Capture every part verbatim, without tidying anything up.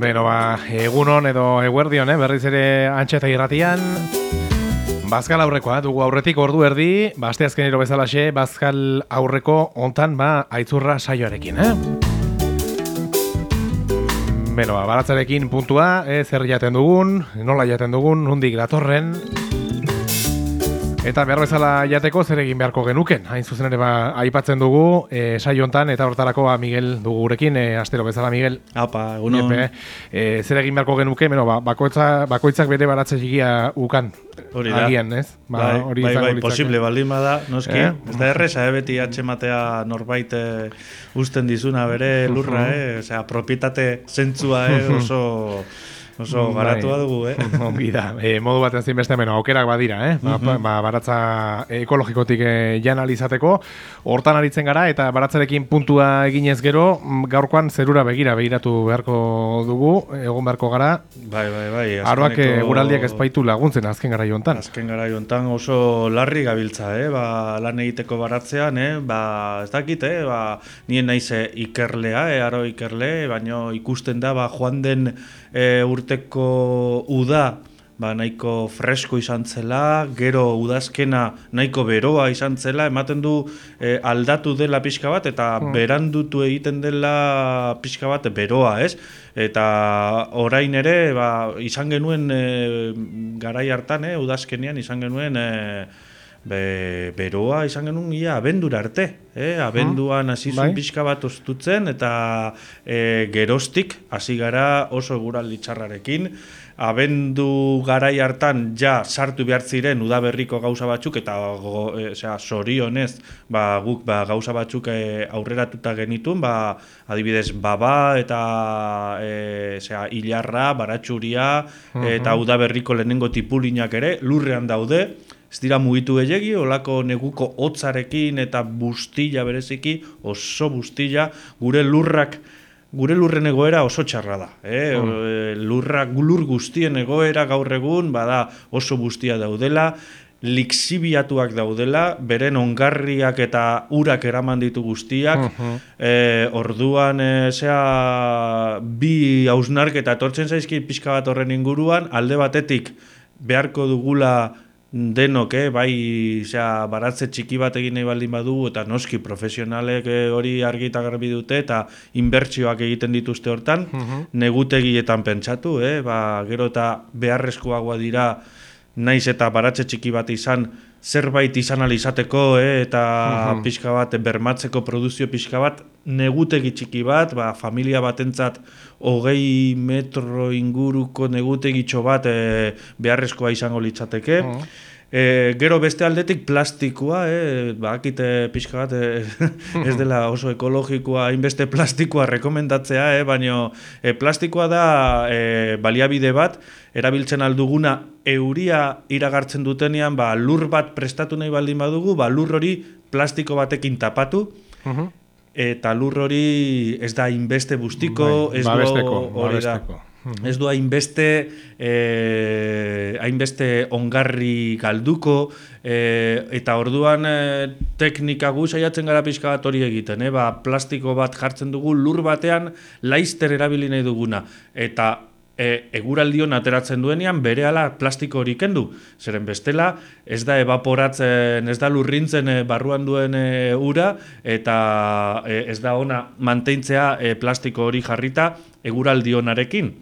Beno, ba, egunon edo eguerdion, eh? Berriz ere Antxeta irratian. Bazkal aurrekoa, dugu aurretik ordu erdi, ba, aste azkenero bezalaxe, Bazkal aurreko hontan, ba, aitzurra saioarekin, eh? Beno, ba, baratzarekin puntua, eh? Zer jaten dugun, nola jaten dugun, nondik datorren. Eta behar bezala jateko zer egin beharko genuken. Hain zuzen ere ba, aipatzen dugu e, saio hontan eta hortarako ba, Miguel dugu gurekin, e, astero bezala Miguel. Apa, egunon. Iepe, e, zer egin beharko genuke, beno, ba, bakoitza, bakoitzak bere baratze txikia ukan. Hori da. Agian, ez? Ba, bai, hori bai, bai, litzake. posible baldin bada, noski. Eh? Ez da erreza, eh, beti atxematea norbait eh, usten dizuna bere lurra, eh? Osea, propietate zentzua eh, oso... Oso garatua dugu, eh? Ongi da. E, modu batean zein beste meno, aukerak badira, eh? Ba, Uh-huh. ba, baratza ekologikotik e, jan alizateko. Hortan aritzen gara eta baratzarekin puntua eginez gero, m, gaurkoan zerura begira begiratu beharko dugu, egon beharko gara. Bai, bai, bai. Aroak azkeneko- eguraldiak ez baitu laguntzen azken gara jontan. Azken gara jontan oso larri gabiltza, eh? Ba, lan egiteko baratzean, eh? Ba, ez dakit, eh? Ba, nien naiz eh, ikerlea, eh? Aro ikerle, baino ikusten da, ba, joan den e, urteko uda, ba, nahiko fresko izan zela, gero udazkena nahiko beroa izan zela, ematen du e, aldatu dela pixka bat, eta Hmm. berandutu egiten dela pixka bat beroa, ez? Eta orain ere, ba, izan genuen e, garai hartan, eh, udazkenean izan genuen e, Be, beroa izan genuen ia abendura arte, eh? Abenduan hasi zuen bai. pixka bat oztutzen eta e, geroztik hasi gara oso eguraldi txarrarekin. Abendu garai hartan ja sartu behar ziren udaberriko gauza batzuk eta go, e, osea, sorionez ba, guk ba, gauza batzuk e, aurreratuta genitun, ba, adibidez baba eta e, osea, hilarra, baratxuria eta udaberriko lehenengo tipulinak ere lurrean daude. Ez dira mugitu gehiegi, olako neguko hotzarekin eta bustila bereziki, oso bustila, gure lurrak, gure lurren egoera oso txarra da. Eh? Mm. Lurrak, lur guztien egoera gaur egun, bada oso bustia daudela, lixibiatuak daudela, beren ongarriak eta urak eraman ditu guztiak, Mhm. e, orduan, e, zea, bi hausnarketa etortzen zaizki pixka bat horren inguruan, alde batetik beharko dugula denok, eh, bai, osea, baratze txiki bat egin nahi baldin badugu eta noski profesionalek eh, hori argi eta garbi dute eta inbertsioak egiten dituzte hortan, Mhm. negutegietan pentsatu, eh, ba, gero eta beharrezkoagoa dira naiz eta baratze txiki bat izan zerbait izan alizateko, eh, eta Mhm. pixka bat bermatzeko produzio pixka bat, negutegi txiki bat, ba, familia batentzat hogei metro inguruko negutegitxo bat eh, beharrezkoa izango litzateke. Mhm. E, gero beste aldetik plastikoa, eh, bakite pixka bat eh, ez dela oso ekologikoa, hainbeste plastikoa rekomendatzea, eh, baina eh, plastikoa da eh, baliabide bat, erabiltzen alduguna euria iragartzen dutenean, ba, lur bat prestatu nahi baldin badugu, ba, lur hori plastiko batekin tapatu, Mhm. eta lur hori ez da hainbeste bustiko, Bai, ez babesteko, du hori da. babesteko. Mhm. Ez du hainbeste eh, hainbeste ongarri galduko, eh, eta orduan eh, teknika gu saiatzen gara pixka bat hori egiten, eh? Ba, plastiko bat jartzen dugu lur batean laizter erabili nahi duguna, eta e, eguraldion ateratzen duenean berehala plastiko hori kendu. Zeren bestela ez da evaporatzen, ez da lurrintzen e, barruan duen e, ura, eta e, ez da ona mantentzea e, plastiko hori jarrita eguraldionarekin.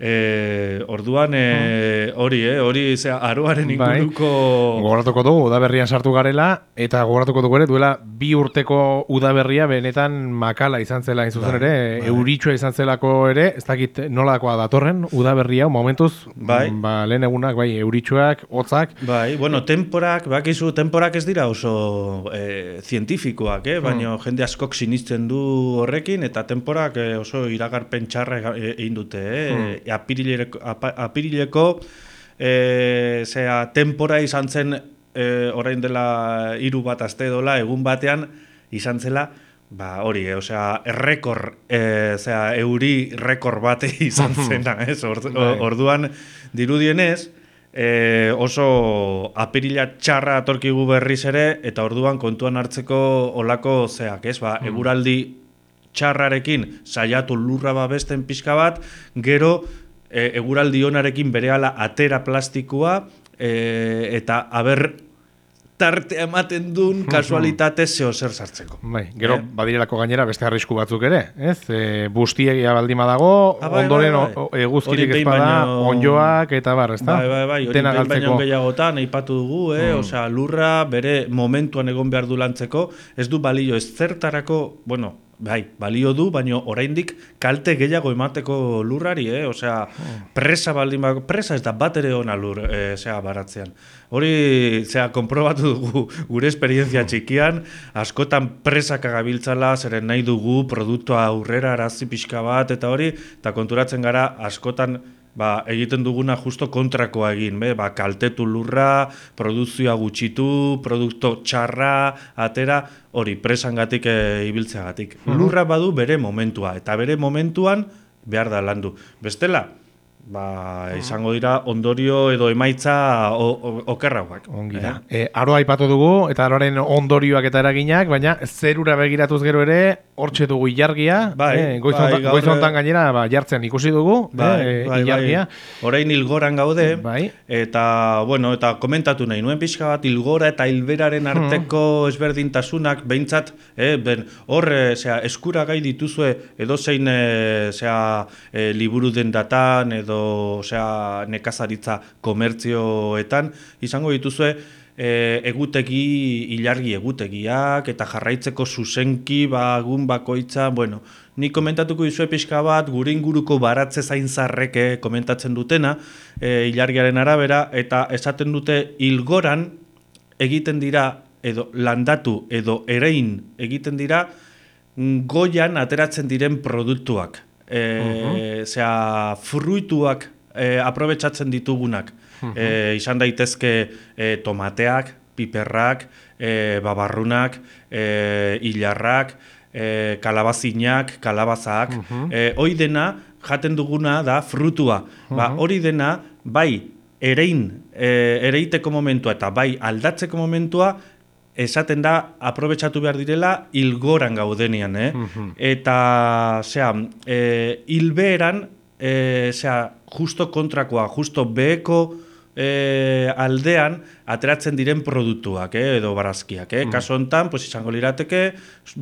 E, orduan e, hori, eh, hori zera, aroaren inguruko... Bai. Gogoratuko dugu udaberrian sartu garela, eta gogoratuko dugu ere duela bi urteko udaberria benetan makala izan zela izan ere, bai. euritxoa izan zelako ere, ez dakit nolakoa datorren udaberria, momentuz, Bai. ba, lehen egunak, bai, euritxoak, hotzak. Bai, bueno, temporak, bakizu, temporak ez dira oso e, zientifikoak, eh? Baina jende askok sinistzen du horrekin, eta temporak e, oso iragarpen txarra e- egin dute, eh? Apirileko, apa, apirileko e, zera, tempora izan zen e, orain dela hiru bat aste dola, egun batean izan zela, ba hori, eh, osea, errekor, eh, osea, euri rekor bate izan zena, ez? Or, orduan dirudienez, eh, oso apirila txarra atorkigu berriz ere, eta orduan kontuan hartzeko olako zeak, ez? Ba, eguraldi txarrarekin saiatu lurra babesten pixka bat, gero e, eguraldi onarekin berehala atera plastikoa, e, eta aber tarte ematen duen kasualitate zeo zer sartzeko. Bai, gero eh? badirelako gainera beste arrisku batzuk ere, ez? E, bustiegia baldima dago, ah, bai, ondoren bai, bai. eguzkirik ezpada, baino... onjoak eta bar, ez da? Bai, bai, bai, hori behin baino gehiagotan aipatu dugu, eh? Mm. Osea, lurra bere momentuan egon behar du lantzeko, ez du balio ez zertarako, bueno, bai, balio du, baina oraindik kalte gehiago emateko lurrari, eh? Osea, presa baldin bako, presa ez da bat ere ona lur, eh, zea, baratzean. Hori, zea, konprobatu dugu gure esperientzia txikian, askotan presak agabiltzala, zeren nahi dugu, produktua aurrera arazi pixka bat, eta hori, eta konturatzen gara, askotan, ba, egiten duguna justo kontrakoa egin, be? Ba, kaltetu lurra, produzioa gutxitu, produkto txarra, atera, hori, presangatik e, ibiltzeagatik. Uh-huh. Lurra badu bere momentua, eta bere momentuan behar da landu. Bestela, ba, izango dira ondorio edo emaitza okerrauak. Ongi da. Eh? E, aroa aipatu dugu, eta aroaren ondorioak eta eraginak, baina zerura begiratuz gero ere, hortxe dugu ilargia, bai, eh, goizontan bai, goiz gainera ba, jartzen ikusi dugu, bai, eh, bai, ilargia. Bai. Orain hilgoran gaude, bai. eta, bueno, eta komentatu nahi, nuen pixka bat, hilgora eta hilberaren arteko hmm. ezberdintasunak, behintzat, eh, ben, hor, eh, zera, eskura gai dituzue, edo zein, eh, zera, eh, liburu dendatan, edo osea, nekazaritza komertzioetan, izango dituzue e, egutegi, ilargi egutegiak, eta jarraitzeko zuzenki, bagun bakoitza, bueno, ni komentatuko dizue pixka bat, gure inguruko baratze zainzarreke komentatzen dutena, e, ilargiaren arabera, eta esaten dute hilgoran egiten dira, edo landatu, edo erein egiten dira, goian ateratzen diren produktuak. E, uh-huh. Zea, fruituak e, aprobetsatzen ditugunak. Uh-huh. E, izan daitezke e, tomateak, piperrak, e, babarrunak, e, hilarrak, e, kalabazinak, kalabazak. Uh-huh. E, hoi dena, jaten duguna da frutua. Uh-huh. Ba, hori dena, bai, erein, e, ereiteko momentua eta bai aldatzeko momentua, esaten da, aprobetsatu behar direla, hilgoran gaudenean, eh? Uh-huh. Eta, zera, e, hilbeeran, e, zera, justo kontrakoa, justo beheko e, aldean, ateratzen diren produktuak, eh? Edo barazkiak, eh? Uh-huh. Kaso hontan, pues, izango lirateke,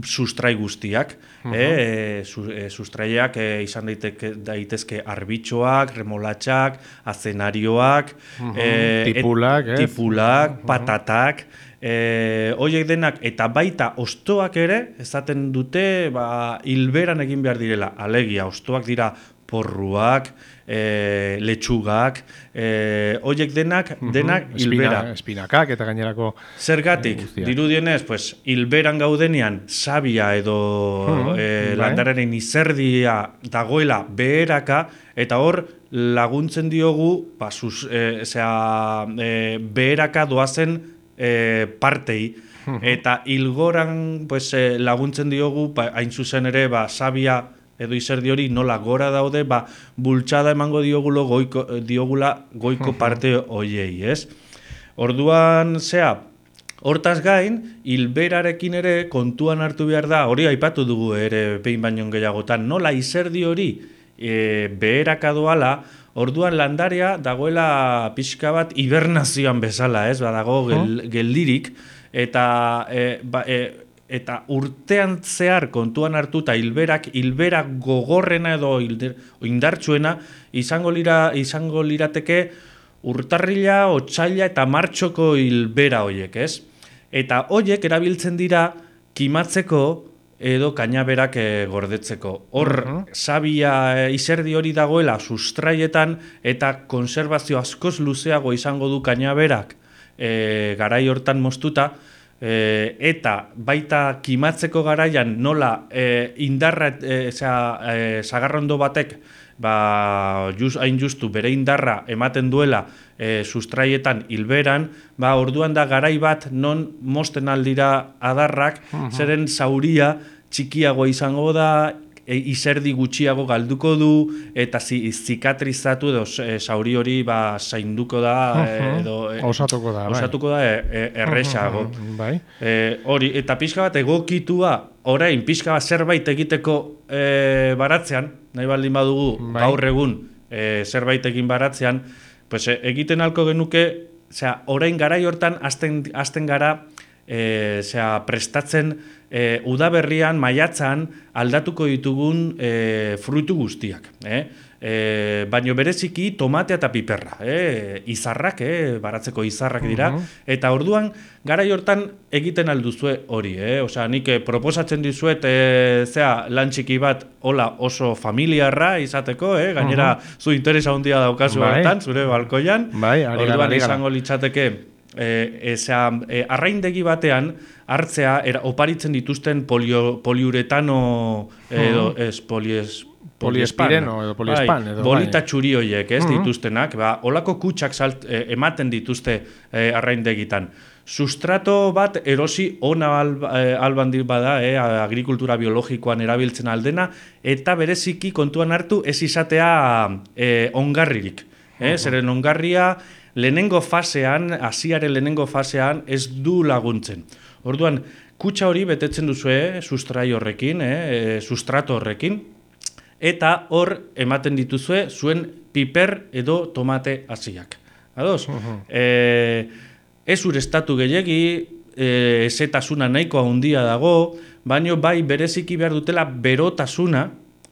sustrai guztiak, uh-huh. eh? Su, e, sustraiak e, izan daiteke, daitezke arbitxoak, remolatxak, azenarioak, uh-huh. e, tipulak, et, tipulak uh-huh. patatak, E, oiek denak eta baita ostoak ere esaten dute ba, hilberan egin behar direla, alegia, ostoak dira porruak, e, letxugak, e, oiek denak, denak uh-huh. hilbera. Espina, espinakak eta gainerako. Zergatik, e, dirudienez, pues, hilberan gaudenean sabia edo uh-huh. e, landararen izerdia dagoela beheraka, eta hor laguntzen diogu ba, sus, e, zera, e, beheraka doazen E, partei, uh-huh. eta hilgoran pues, e, laguntzen diogu, ba, hain zuzen ere, ba, sabia edo izerdi hori nola gora daude, ba, bultxada emango diogulo goiko, diogula goiko uh-huh. parte hoiei, ez? Orduan, zea, hortaz gain, hilberarekin ere kontuan hartu behar da, hori aipatu dugu ere behin baino gehiagotan, nola izerdi hori e, beheraka doala, orduan landarea dagoela pixka bat hibernazioan bezala, ez? Badago gel, geldirik, eta, e, ba, e, eta urtean zehar kontuan hartuta hilberak, hilberak gogorrena edo indartsuena izango, lira, izango lirateke urtarrila, otsaila eta martxoko hilbera hoiek, ez? Eta hoiek erabiltzen dira kimatzeko edo kainaberak e, gordetzeko. Hor, uh-huh. sabia e, izerdi hori dagoela sustraietan eta konserbazio askoz luzeago izango du kainaberak e, garai hortan moztuta, e, eta baita kimatzeko garaian nola e, indarra, e, zera, e, sagarrondo batek ba, just, hain justu bere indarra ematen duela e, sustraietan hilberan, ba, orduan da garai bat non mosten aldira adarrak, uh-huh. zeren zauria txikiago izango da, e, izerdi gutxiago galduko du, eta zi, zikatrizatu edo e, zauri hori ba, zainduko da, uh-huh. edo e, osatuko da, osatuko da e, e, erresago. Uh-huh. Bai. E, hori, eta pixka bat egokitua, orain pixka bat zerbait egiteko e, baratzean, nahi baldin badugu bai. Gaur egun e, zerbait egin baratzean, pues, e, egiten halko genuke, zera, orain garai hortan hasten, hasten gara, e, zera, prestatzen, E, udaberrian, maiatzan, aldatuko ditugun e, fruitu guztiak. Eh? E, baino bereziki tomatea eta piperra. Eh? Izarrak, eh? Baratzeko izarrak dira. Uh-huh. Eta orduan, garai hortan egiten alduzue hori. Eh? Osea, nik eh, proposatzen dizuet e, zea, lan txiki bat hola oso familiarra izateko. Eh? Gainera, uh-huh. zu interesa handia daukazu bai. Hortan, zure balkoian. Bai, orduan izango litzateke E, ezea, e, arraindegi batean hartzea era, oparitzen dituzten polio, poliuretano edo uh-huh. ez polies poliespireno edo poliespan bai, edo bolita txuri horiek ez uh-huh. dituztenak, ba, olako kutsak salt, e, ematen dituzte e, arraindegitan. Sustrato bat erosi ona alba, e, alban bada, e, agrikultura biologikoan erabiltzen aldena, eta bereziki kontuan hartu ez izatea e, ongarririk. Eh? Uh-huh. Zeren ongarria lehenengo fasean, hasiaren lehenengo fasean ez du laguntzen. Orduan, kutsa hori betetzen duzue sustrai horrekin, eh, sustrato horrekin, eta hor ematen dituzue zuen piper edo tomate hasiak. Ados? Uh-huh. E, ez urestatu gehiegi, e, ezetasuna nahiko handia dago, baino bai bereziki behar dutela berotasuna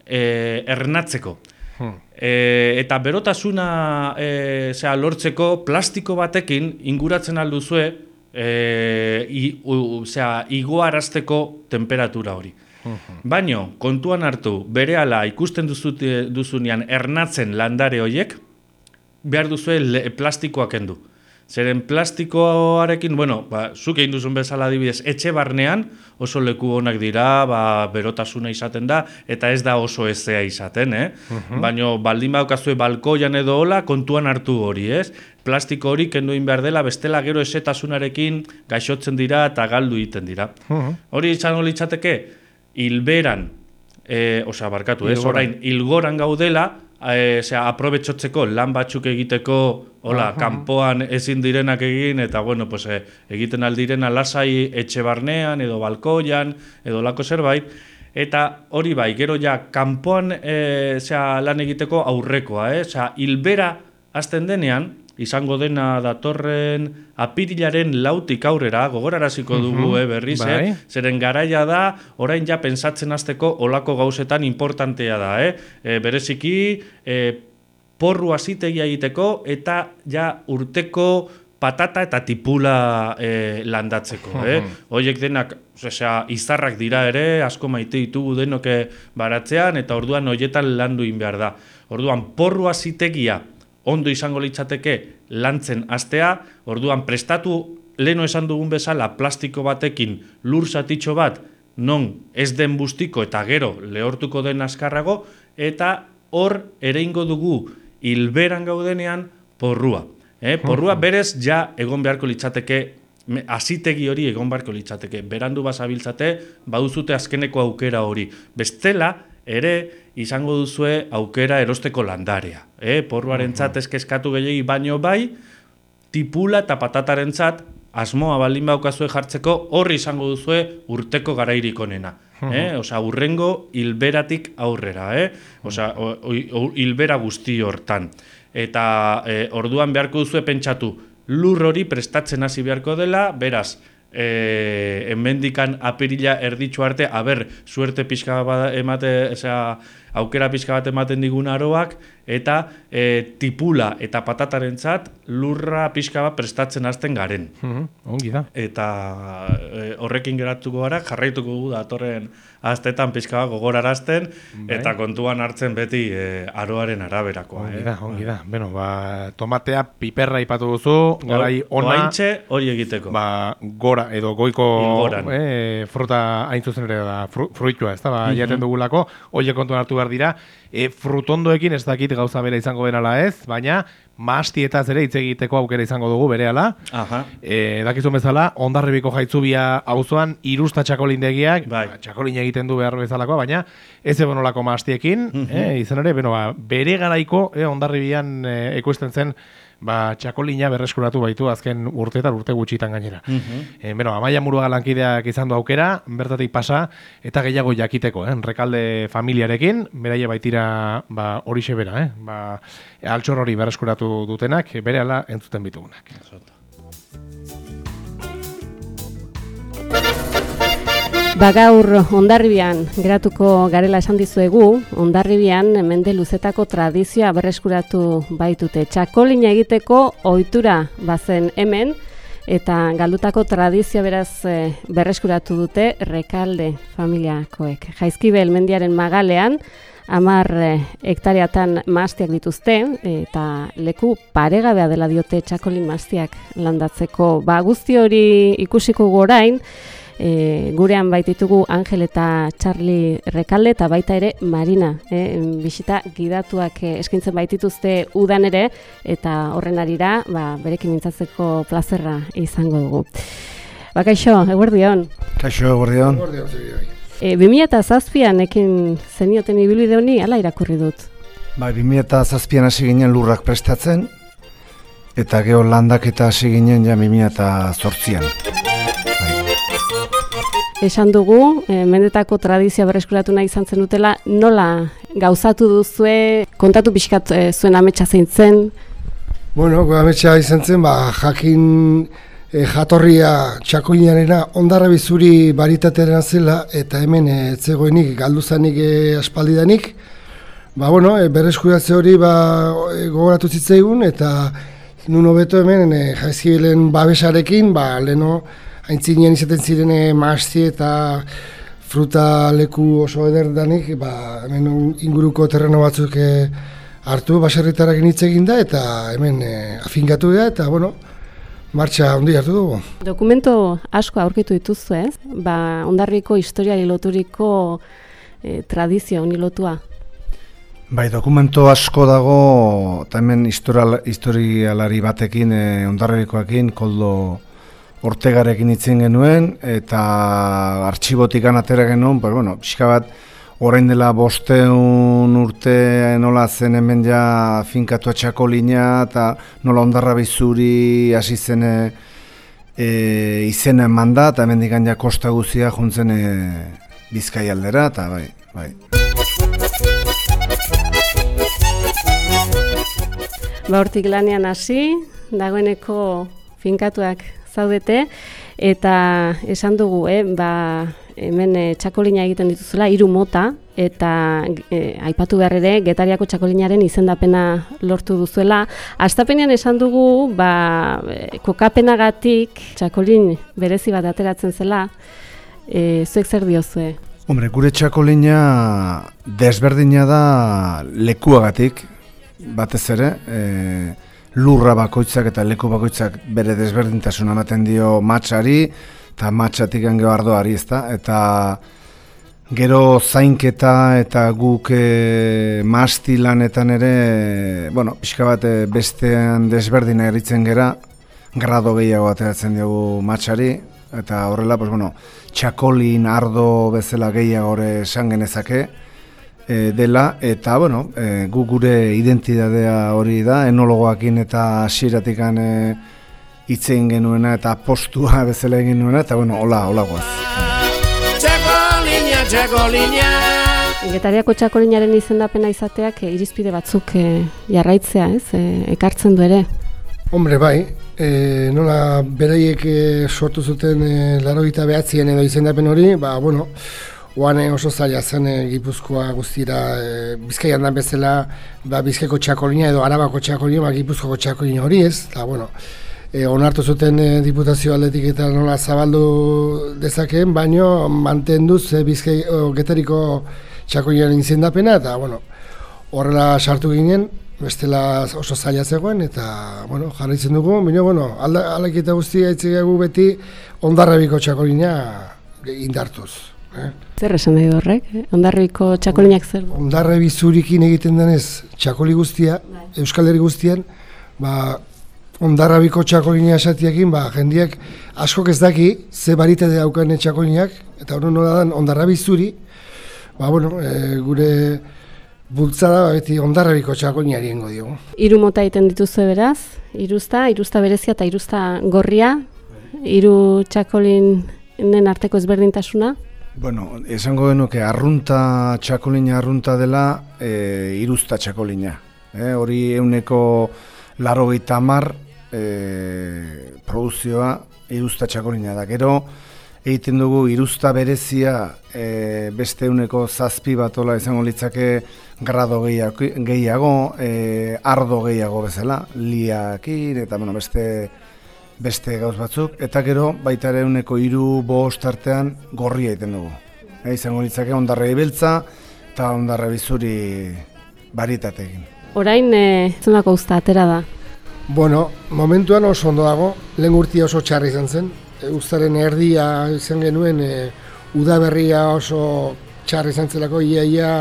e, ernatzeko. Hmm. E, eta berotasuna e, zera, lortzeko plastiko batekin inguratzen alduzue e, i, u, zera, igoarazteko temperatura hori. Uh-huh. Baino, kontuan hartu, berehala ikusten duzute, duzunean ernatzen landare horiek, behar duzue le, plastikoak kendu. Zeren plastikoarekin, bueno, ba, zuk egin duzun bezala adibidez, etxe barnean oso leku onak dira, ba, berotasuna izaten da, eta ez da oso ezea izaten, eh? Uh-huh. Baina baldin baukazue balkoian edo hola, kontuan hartu hori, ez? Plastiko hori kenduin behar dela, bestela gero ezetasunarekin gaixotzen dira eta galdu egiten dira. Uh-huh. Hori izango litzateke, hilberan, e, osea, barkatu, ez? Orain, hilgoran gaudela, E, zera, aprobetxotzeko lan batzuk egiteko hola, uh-huh. kanpoan ezin direnak egin eta bueno, pues, e, egiten aldirena lasai etxe barnean edo balkoian edo lako zerbait eta hori bai, gero ja kanpoan e, zera, lan egiteko aurrekoa, eh? Zera, hilbera hasten denean izango dena datorren apirilaren lautik aurrera, gogoraraziko dugu uh-huh. eh, berriz, bai. eh? Zeren garaia da, orain ja pensatzen hasteko olako gauzetan importantea da. Eh? E, bereziki, e, porru hasitegia egiteko eta ja urteko patata eta tipula e, landatzeko. Uh-huh. Eh? Hoiek denak, osea, izarrak dira ere, asko maite ditugu denoke baratzean, eta orduan hoietan landu egin behar da. Orduan, porru hasitegia ondo izango litzateke lantzen astea, orduan prestatu leno esan dugun bezala plastiko batekin lur zatitxo bat non ez den bustiko eta gero lehortuko den azkarrago, eta hor ere ingo dugu hilberan gaudenean porrua. Eh? Porrua berez ja egon beharko litzateke, hasitegi hori egon beharko litzateke. Berandu bazabiltzate, baduzute azkeneko aukera hori. Bestela, ere izango duzue aukera erosteko landarea. Eh? Porruarentzat ez kezkatu gehiagi baino bai, tipula eta patatarentzat asmoa baldin baukazue jartzeko horri izango duzue urteko garairik onena. Eh? Osea, urrengo hilberatik aurrera. Eh? Osea, hilbera guzti hortan. Eta eh, orduan beharko duzue pentsatu, lur hori prestatzen hasi beharko dela, beraz, Eh, hemendikan apirila erditxo arte, aber, suerte pixka bat emate, osea, aukera pixka bat ematen digun aroak, eta e, tipula eta patatarentzat lurra pixka bat prestatzen hasten garen. Uh-huh. Ongi da. Eta e, horrekin geratuko gara, jarraituko gu datorren astetan pixka bat gogorarazten, bai. Eta kontuan hartzen beti e, aroaren araberakoa. Ongi eh? da, ongi da. Bueno, ba, tomatea, piperra ipatu duzu, garai ona. Oaintxe hori egiteko. Ba, gora edo goiko eh, fruta hain zuzen ere da, fru, fruitua, ez da, ba, uh-huh. jaten dugulako, horiek kontuan hartu behar dira. E, frutondoekin ez dakit gauza bera izango benala ez, baina mahastietaz ere hitz egiteko aukera izango dugu berehala. Aha. E, dakizun bezala, Hondarribiko Jaitzubia auzoan hirusta txakolindegiak, bai. ba, txakolin egiten du behar bezalakoa, baina ez egonolako mahastiekin, mm -hmm. e, izan ere, beno, ba, bere garaiko e, Hondarribian e, ekoizten zen ba, txakolina berreskuratu baitu azken urteetan urte gutxitan gainera. Mm -hmm. e, beno, Amaia Muruaga lankideak izan du aukera, bertatik pasa, eta gehiago jakiteko, eh? Rekalde familiarekin, beraie baitira ba, horixe bera, eh? ba, altxor hori berreskuratu dutenak, berehala entzuten bitugunak. Ba gaur Hondarribian geratuko garela esan dizuegu, Hondarribian mende luzetako tradizioa berreskuratu baitute. Txakolina egiteko ohitura bazen hemen, eta galdutako tradizioa beraz berreskuratu dute Rekalde familiakoek. Jaizkibel mendiaren magalean, hamar hektareatan mahastiak dituzte, eta leku paregabea dela diote txakolin mahastiak landatzeko. Ba guzti hori ikusiko gorain, E, gurean baititugu Angel eta Charlie Rekalde eta baita ere Marina, e, bisita gidatuak e, eskintzen baitituzte udan ere, eta horren arira ba, berekin mintzatzeko plazerra izango dugu. Ba, kaixo, eguerdion. Kaixo, eguerdion. E, bi mila zazpian ekin zenioten ibilbide honi, ala irakurri dut? Ba, bi mila zazpian hasi ginen lurrak prestatzen, eta geho landak eta hasi ginen ja bi mila zortzian. Esan dugu, e, mendetako tradizioa berreskuratu nahi izan zen dutela, nola gauzatu duzue, kontatu pixkat e, zuen ametsa zein zen? Bueno, ametsa izan zen, ba, jakin e, jatorria txakolinarena Hondarribi zuri baritatearen zela, eta hemen e, zegoenik galduzanik e, aspaldidanik. Ba, bueno, e, berreskuratze hori ba, e, gogoratu zitzaigun, eta nun hobeto hemen e, Jaizkibelen babesarekin, ba, leno, aintzinean izaten zirene mahasti eta fruta leku oso ederdanik, ba, hemen inguruko terreno batzuk e, hartu, baserritarakin hitz egin da, eta hemen e, afingatu da, eta, bueno, martxa handi hartu dugu. Dokumento asko aurkitu dituzu ez? Ba, Hondarribiko historiari loturiko e, tradizio honi lotua. Bai, dokumento asko dago, eta hemen historialari batekin, e, Hondarribikoekin, Koldo Ortegarekin itzen genuen, eta artxibotik atera genuen, pues, bueno, pixka bat, orain dela bosteun urte nola zen hemen ja finkatu txakolina, eta nola Hondarribi zuri hasi zen e, izena eman da, eta hemen digan ja kosta guzia juntzen e, Bizkai aldera, eta bai, bai. Ba, hortik lanean hasi, dagoeneko finkatuak zaudete, eta esan dugu, eh, ba, hemen e, txakolina egiten dituzula, hiru mota, eta e, aipatu behar ere, Getariako txakolinaren izendapena lortu duzuela. Hastapenean esan dugu, ba, e, kokapenagatik txakolin berezi bat ateratzen zela, e, zuek zer diozue? Hombre, gure txakolina desberdina da lekuagatik, batez ere, e, lurra bakoitzak eta leku bakoitzak bere desberdintasuna ematen dio matxari, eta matxatik gero ardoari, ezta? Eta gero zainketa eta guk e, mahasti lanetan ere, bueno, pixka bat e, bestean desberdina eritzen gera, grado gehiago ateratzen diogu matxari, eta horrela, pues, bueno, txakolin, ardo bezala gehiago esan genezake, E, dela, eta bueno, e, gu gure identitatea hori da, enologoakin eta hasieratik e, hitz egin genuena eta postua bezala egin genuena, eta bueno, hola, hola goaz. Txakolina, txakolina. Getariako txakolinaren izendapena izateak e, irizpide batzuk e, jarraitzea, ez? E, ekartzen du ere. Hombre, bai, e, nola beraiek e, sortu zuten e, laurogeita bederatzien edo izendapen hori, ba, bueno, oan oso zaila zen e, Gipuzkoa guztira, e, Bizkaian da bezala, ba, Bizkaiko txakolina edo Arabako txakolina, ba, Gipuzkoako txakolina hori ez, eta, bueno, e, onartu zuten e, diputazio aldetik eta nola zabaldu dezakeen, baino mantenduz e, Bizkai, o, Getariko txakolinaren izendapena, eta, bueno, horrela sartu ginen, bestela oso zaila zegoen, eta, bueno, jarraitzen dugu, baina, bueno, aldaketa guztia itzegegu beti Hondarribiko txakolina indartuz. Eh? Zer esan nahi du horrek? Hondarribiko txakolinak zer du? Hondarribi zurikin egiten denez txakoli guztia, Euskal Herri guztian, ba, Hondarribiko txakolina esatiekin, ba, jendiak askok ez daki ze baritate daukan txakolinak, eta hori nola dan Hondarribi zuri, ba, bueno, e, gure bultzada beti Hondarribiko txakolinari ingo diogu. Hiru mota egiten dituzue beraz, iruzta, iruzta berezia eta iruzta gorria, hiru txakolinen arteko ezberdintasuna. Bueno, esango genuke arrunta txakolina arrunta dela e, iruzta txakolina. E, hori euneko laurogeita hamar e, produzioa iruzta txakolina da. Gero egiten dugu iruzta berezia e, beste euneko zazpi batola izango litzake grado gehiago, gehiago e, ardo gehiago bezala, liakin eta bueno, beste... beste gauz batzuk, eta gero baita ere euneko hiru bost artean gorria egiten dugu. E, izango litzake Hondarribi beltza eta Hondarribi zuri baritatekin. Orain, e, zunako usta atera da? Bueno, momentuan oso ondo dago, lehen urtia oso txarri izan zen, e, ustaren erdia izan genuen, e, udaberria oso txarri izan zelako, ia ia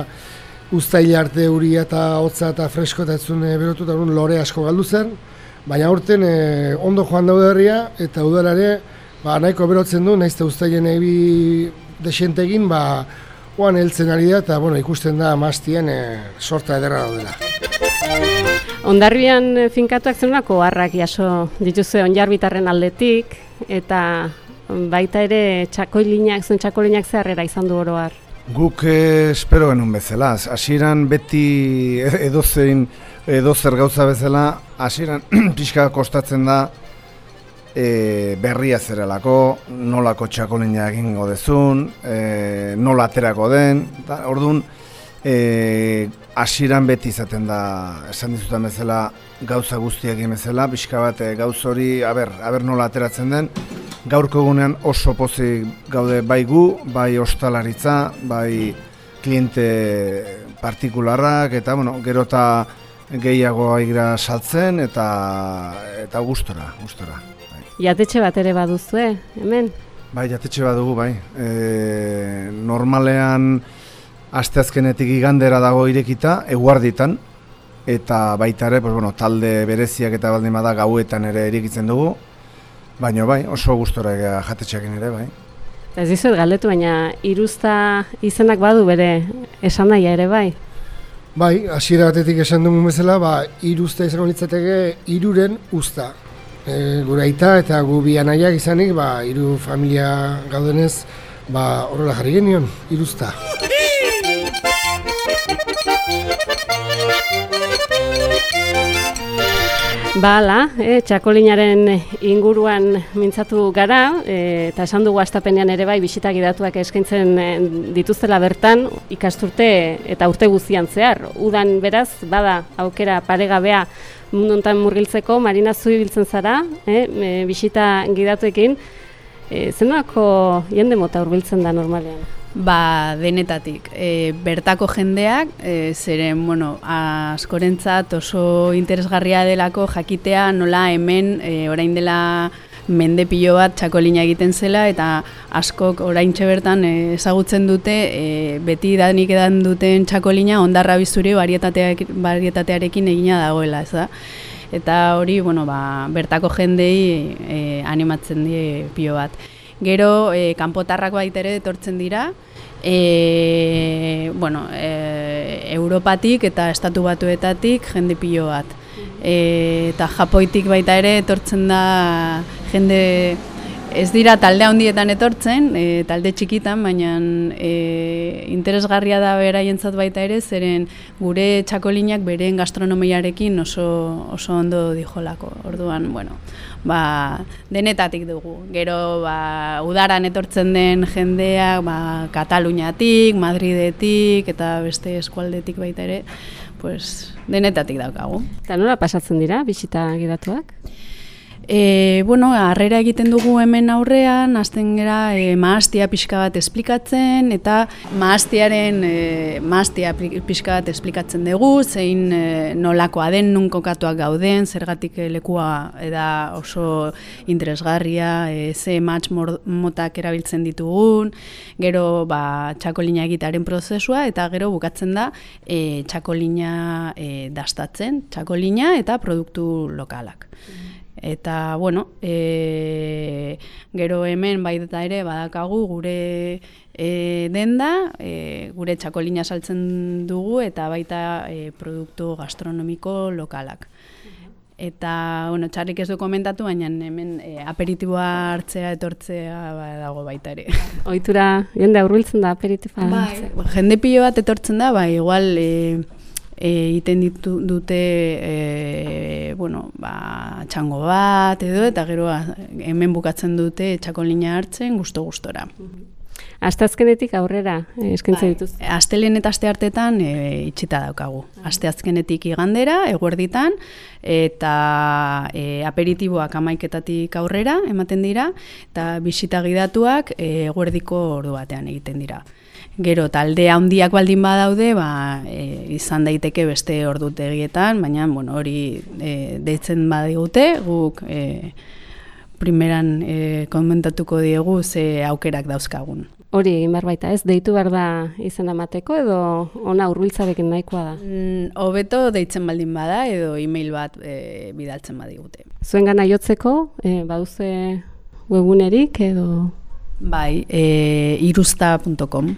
ustaila arte euria eta hotza eta fresko eta ez zuen e, berotu, eta lore asko galdu zen. Baina aurten eh, ondo joan daude herria eta udalare ba, nahiko berotzen du, nahiz eta uztailen ebi desentegin, ba, oan heltzen ari da eta bueno, ikusten da maztien eh, sorta ederra daudela. Hondarribian finkatuak zenunako harrak jaso dituzue Onjarbitarren aldetik, eta baita ere txakolinak, zuen txakolinak zeharrera izan du oro har. Guk eh, espero genuen bezala, hasieran beti edozein edozer gauza bezala, hasieran pixka kostatzen da e, berria zerelako, nolako txakolina egingo dezun, e, nola aterako den, da, orduan e, hasieran beti izaten da, esan dizutan bezala, gauza guztiak egin bezala, pixka bat e, gauz hori, aber, aber nola ateratzen den, gaurko egunean oso pozik gaude bai gu, bai ostalaritza, bai kliente partikularrak, eta bueno, gero eta gehiago aigra saltzen eta eta gustora, gustora. Bai. Jatetxe bat ere baduzue, hemen? Bai, jatetxe bat dugu, bai. E, normalean asteazkenetik igandera dago irekita, eguarditan, eta baita ere, pues, bueno, talde bereziak eta baldin bada gauetan ere irekitzen dugu, baina bai, oso gustora jatetxeakin ere, bai. Ez dizuet galdetu, baina iruzta izenak badu bere esan nahia ere bai? Bai, hasiera batetik esan dugun bezala, ba, iruzta izango litzateke hiruren uzta. E, gure aita eta gu bi anaiak izanik, ba, hiru familia gaudenez, ba, horrela jarri genion, iruzta. Bala, e, txakolinaren inguruan mintzatu gara, e, eta esan dugu astapenean ere bai bisita gidatuak eskaintzen e, dituztela bertan ikasturte eta urte guztian zehar. Udan beraz, bada aukera paregabea mundu honetan murgiltzeko, Marina zu ibiltzen zara, e, e, bisita gidatuekin, e, zenolako jende mota hurbiltzen da normalean? Ba, denetatik. E, bertako jendeak, e, zeren, bueno, askorentzat oso interesgarria delako jakitea nola hemen e, orain dela mende pilo bat txakolina egiten zela, eta askok oraintxe bertan e, ezagutzen dute e, beti danik edan duten txakolina Hondarribi zuri barietatearekin egina dagoela, ez da? Eta hori, bueno, ba, bertako jendei e, animatzen die pilo bat. Gero, e, kanpotarrak baita ere etortzen dira, e, bueno, e, Europatik eta Estatu Batuetatik jende pilo bat. E, eta Japoitik baita ere etortzen da jende, ez dira talde handietan etortzen, e, talde txikitan, baina e, interesgarria da beraientzat baita ere, zeren gure txakolinak beren gastronomiarekin oso, oso ondo dijolako. Orduan, bueno, ba, denetatik dugu. Gero ba, udaran etortzen den jendeak ba, Kataluniatik, Madridetik eta beste eskualdetik baita ere, pues, denetatik daukagu. Eta nola pasatzen dira bisita gidatuak? E, bueno, harrera egiten dugu hemen aurrean, hasten gera e, mahastia pixka bat esplikatzen, eta mahastiaren e, mahastia pixka bat esplikatzen dugu, zein e, nolakoa den, nun kokatuak gauden, zergatik lekua eda oso interesgarria, e, ze match motak erabiltzen ditugun, gero ba, txakolina egitaren prozesua, eta gero bukatzen da e, txakolina e, dastatzen, txakolina eta produktu lokalak. Eta, bueno, e, gero hemen baita ere badakagu gure e, denda, e, gure txakolina saltzen dugu eta baita e, produktu gastronomiko lokalak. Eta, bueno, txarrik ez du komentatu, baina hemen e, aperitiboa hartzea, etortzea ba, dago baita ere. Ohitura, jende aurbiltzen da aperitiboa. Bai, jende pilo bat etortzen da, bai, igual egiten e, ditu, dute e, bueno, ba, txango bat edo, eta gero hemen bukatzen dute txakolina hartzen gusto-gustora. Asteazkenetik aurrera eskaintzen dituz. Bai, astelehen eta asteartetan e, itxita daukagu. Asteazkenetik igandera, eguerditan, eta e, aperitiboak hamaiketatik aurrera ematen dira, eta bisita gidatuak e, eguerdiko ordu batean egiten dira. Gero, talde handiak baldin badaude, ba, e, izan daiteke beste ordutegietan, baina bueno, hori e, deitzen badigute, guk e, primeran e, komentatuko diegu ze aukerak dauzkagun. Hori egin behar baita ez, deitu behar da izena emateko edo ona hurbiltzarekin nahikoa da? Mm, hobeto deitzen baldin bada edo e-mail bat e, bidaltzen badigute. Zuen gana jotzeko, e, baduze webunerik edo? Bai, e, irusta punto com.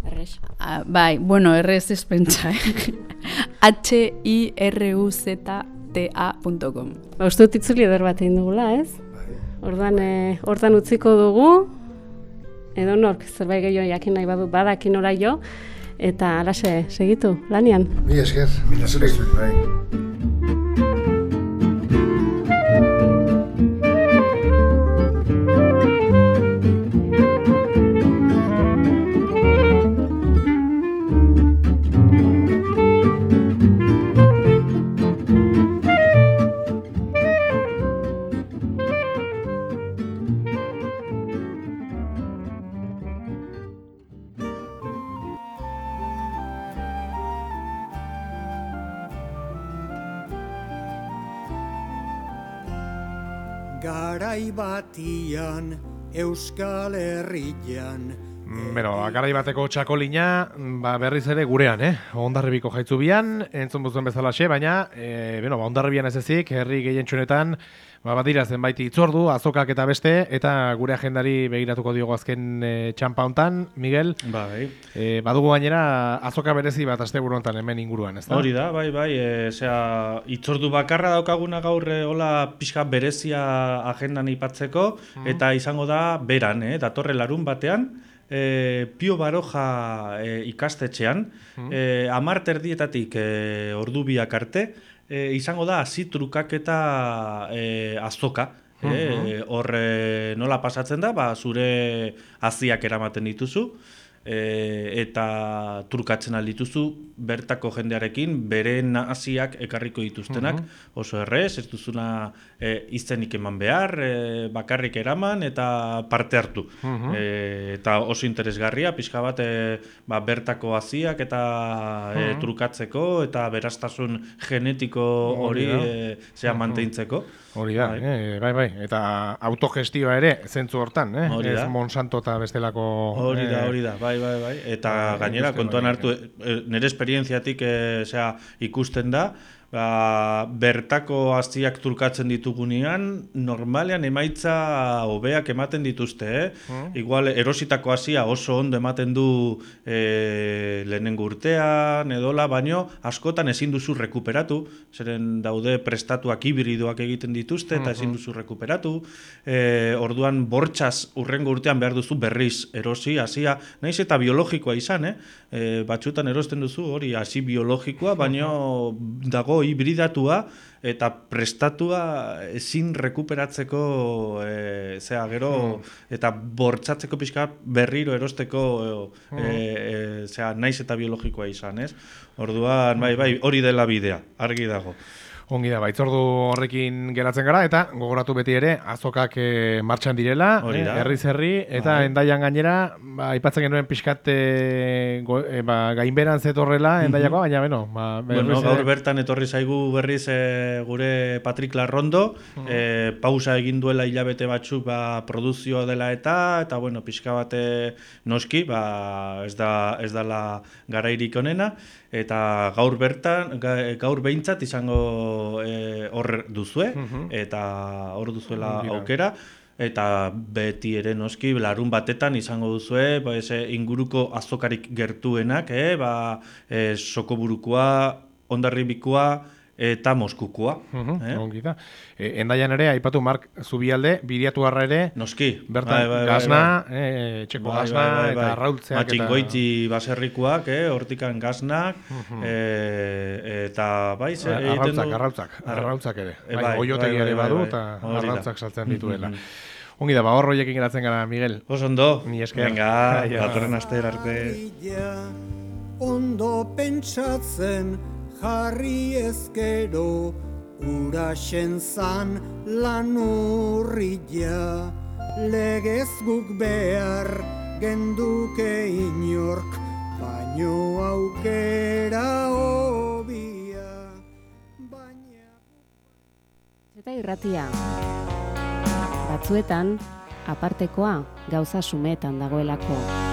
Errez. Ah, bai, bueno, errez ez pentsa, eh? H I R U Z T A punto com. Ba, uste dut itzuli eder bat egin dugula, ez? Orduan, e, hortan utziko dugu, edo nork, zerbait gehiago jakin nahi badu, badakin ora jo, eta alaxe, segitu, lanian. Mi esker. Mila esker, bai. Garai batian, Euskal Herrian. Bero, garai bateko txakolina, ba, berriz ere gurean, eh? Hondarribiko jaitzubian, entzun buzuen bezalaxe, baina, e, bueno, ba, Hondarribian ez ezik, herri gehientsunetan, ba, badira zenbait itzordu, azokak eta beste, eta gure agendari begiratuko diogo azken e, txampa hontan, Miguel. Bai. E, badugu gainera azoka berezi bat asteburu hontan hemen inguruan, ez da? Hori da, bai, bai, e, zera, itzordu bakarra daukaguna gaur e, hola pixka berezia agendan ipatzeko, mm. eta izango da beran, eh, datorre larun batean, E, Pio Baroja e, ikastetxean, mm. e, amar terdietatik e, ordu biak arte, e, izango da hasi trukaketa e, azoka. Mm-hmm. e, hor e, nola pasatzen da, ba, zure haziak eramaten dituzu, e, eta trukatzen aldituzu bertako jendearekin bere naziak ekarriko dituztenak, mm-hmm. oso errez, ez duzuna e, izenik eman behar, e, bakarrik eraman eta parte hartu. Mm-hmm. e, eta oso interesgarria, pixka bat e, ba, bertako haziak eta mm-hmm. e, trukatzeko eta beraztasun genetiko hori e, zea mm-hmm. mantentzeko. Hori da, bai. Eh, bai, bai, eta autogestioa ere, zentzu hortan, eh? Ez Monsanto eta bestelako... Hori da, hori da, bai, bai, bai, eta bai, gainera, kontuan hartu, e, nire esperientziatik e, zera, ikusten da, ba, bertako haziak trukatzen ditugunean, normalean emaitza hobeak ematen dituzte, eh? Mm. Igual, erositako hazia oso ondo ematen du e, lehenengo urtean, edola, baino, askotan ezin duzu rekuperatu, zeren daude prestatuak hibridoak egiten dituzte, eta ezin duzu rekuperatu, e, orduan bortxaz urrengo urtean behar duzu berriz erosi, hazia, naiz eta biologikoa izan, eh? E, batxutan erosten duzu hori hasi biologikoa, baino dago hibridatua eta prestatua ezin rekuperatzeko e, zea gero mm. eta bortzatzeko pixka berriro erosteko mm. e, e, zea naiz eta biologikoa izan, ez? Orduan, bai, bai, hori dela bidea, argi dago. Ongi da, baitzordu horrekin geratzen gara, eta gogoratu beti ere, azokak e, martxan direla, Hori da. eh, herriz herri, eta Bai. Endaian gainera, ba, aipatzen genuen pixkat e, go, e, ba, gainberan zetorrela Endaiakoa, baina beno, ba, Bueno, berriz gaur ere- bertan etorri zaigu berriz e, gure Patrik Larrondo, e, pausa egin duela hilabete batzuk ba, produzioa dela eta, eta bueno, pixka bate noski, ba, ez da ez dala garairik onena, eta gaur bertan, ga- gaur behintzat izango e, hor duzue, eta hor duzuela Dira. aukera, eta beti ere noski larun batetan izango duzue ba, ese inguruko azokarik gertuenak, eh? ba, e, Sokoburukoa, Hondarribikoa eta Moskukoa. Mhm, eh? ongi da. E, Endaian ere, aipatu Mark Zubialde, Biriatu harra ere, Noski. bertan Bai, bai, bai, gasna, bai. e, txeko Bai, gasna, bai, bai, eta bai. arraultzeak, Matxingoiti baserrikoak, eh? hortikan gasnak, eh, eta bai, ze, egiten arrautzak, du- arrautzak, Arra- arrautzak ere. Eh, Bai, bai, oiotegi bai, ere bai, badu, bai, eta hori da. arrautzak saltzen dituela. Mhm. Ongi da, ba, hor horiekin geratzen gara, Miguel. Oso ondo. Ni esker. Venga, Aio. datorren aster arte. Harria, ondo pentsatzen jarri ezkero, uraxen zan lan urria, legez guk behar genduke inork, baino aukera hobia, baina... Eta irratia. Batzuetan, apartekoa gauza sumetan dagoelako.